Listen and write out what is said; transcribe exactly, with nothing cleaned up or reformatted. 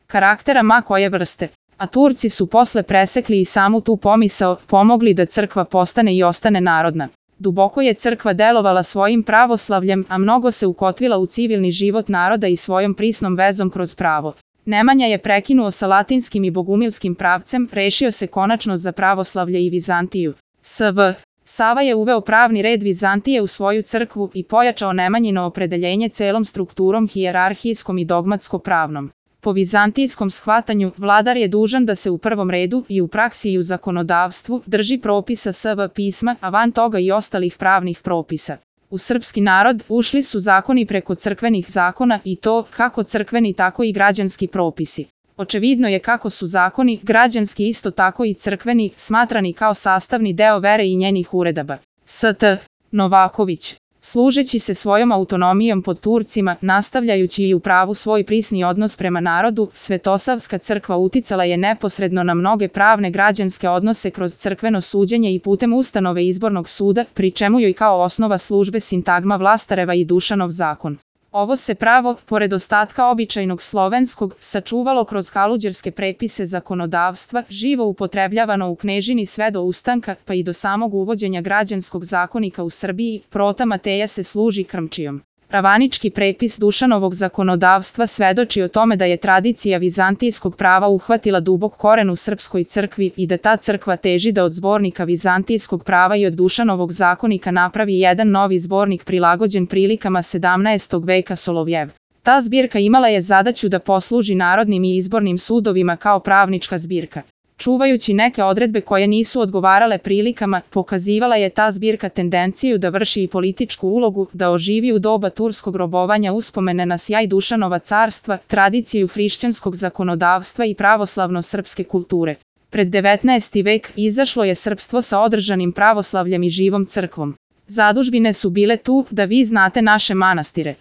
karaktera ma koje vrste. A Turci su posle presekli i samu tu pomisao, pomogli da crkva postane i ostane narodna. Duboko je crkva delovala svojim pravoslavljem, a mnogo se ukotvila u civilni život naroda i svojom prisnom vezom kroz pravo. Nemanja je prekinuo sa latinskim i bogumilskim pravcem, rešio se konačno za pravoslavlje i Vizantiju. Sv. Sava je uveo pravni red Vizantije u svoju crkvu i pojačao Nemanjino opredeljenje celom strukturom hijerarhijskom i dogmatsko-pravnom. Po vizantijskom shvatanju, vladar je dužan da se u prvom redu i u praksi i u zakonodavstvu drži propisa Sv. pisma, a van toga i ostalih pravnih propisa. U srpski narod ušli su zakoni preko crkvenih zakona i to kako crkveni tako i građanski propisi. Očevidno je kako su zakoni, građanski isto tako i crkveni, smatrani kao sastavni deo vere i njenih uredaba. St. Novaković. Služeći se svojom autonomijom pod Turcima, nastavljajući i u pravu svoj prisni odnos prema narodu, Svetosavska crkva uticala je neposredno na mnoge pravne građanske odnose kroz crkveno suđenje i putem ustanove izbornog suda, pri čemu joj kao osnova službe sintagma Vlastareva i Dušanov zakon. Ovo se pravo, pored ostatka običajnog slovenskog, sačuvalo kroz haluđerske prepise zakonodavstva, živo upotrebljavano u knežini sve do ustanka, pa i do samog uvođenja građanskog zakonika u Srbiji. Prota Mateja se služi krmčijom. Pravanički prepis Dušanovog zakonodavstva svedoči o tome da je tradicija vizantijskog prava uhvatila dubok koren u srpskoj crkvi i da ta crkva teži da od zbornika vizantijskog prava i od Dušanovog zakonika napravi jedan novi zbornik prilagođen prilikama sedamnaestog veka Solovjev. Ta zbirka imala je zadaću da posluži narodnim i izbornim sudovima kao pravnička zbirka. Čuvajući neke odredbe koje nisu odgovarale prilikama, pokazivala je ta zbirka tendenciju da vrši i političku ulogu, da oživi u doba turskog robovanja uspomene na sjaj Dušanova carstva, tradiciju hrišćanskog zakonodavstva i pravoslavno-srpske kulture. Pred devetnaesti vek izašlo je srpstvo sa održanim pravoslavljem i živom crkvom. Zadužbine su bile tu da vi znate naše manastire.